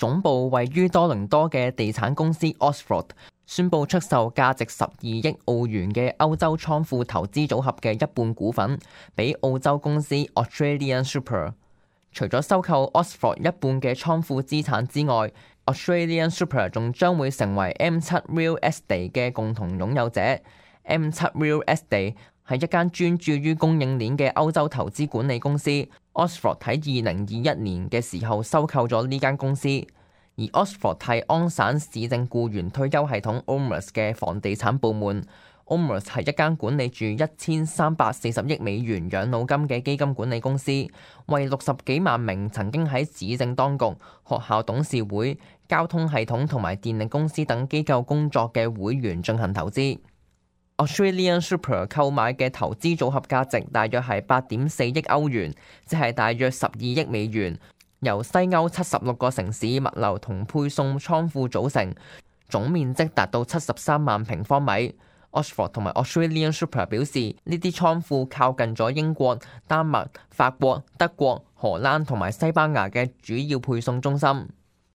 總部位於多倫多嘅地產公司 Osford 宣布出售價值12億澳元嘅歐洲倉庫投資組合嘅一半股份，俾澳洲公司 Australian Super。除咗收購 Osford 一半嘅倉庫資產之外， Australian Super 仲將會成為 M7 Real Estate 嘅共同擁有者。M7 Real Estate 係一間專注於供應鏈嘅歐洲投資管理公司。Osford 喺2021年嘅時候收購咗呢間公司，而 Osford 係安省市政僱員退休系統 OMERS 嘅房地產部門。OMERS 係一間管理住1340億美元養老金嘅基金管理公司，為60幾萬名曾經喺市政當局、學校董事會、交通系統同埋電力公司等機構工作嘅會員進行投資。Australian Super 購買嘅投資組合價值大約係8.4億歐元，即係大約12億美元，由西歐76個城市物流同配送倉庫組成，總面積達到73萬平方米。Osford 同埋 Australian Super 表示，呢啲倉庫靠近咗英國、丹麥、法國、德國、荷蘭同埋西班牙嘅主要配送中心。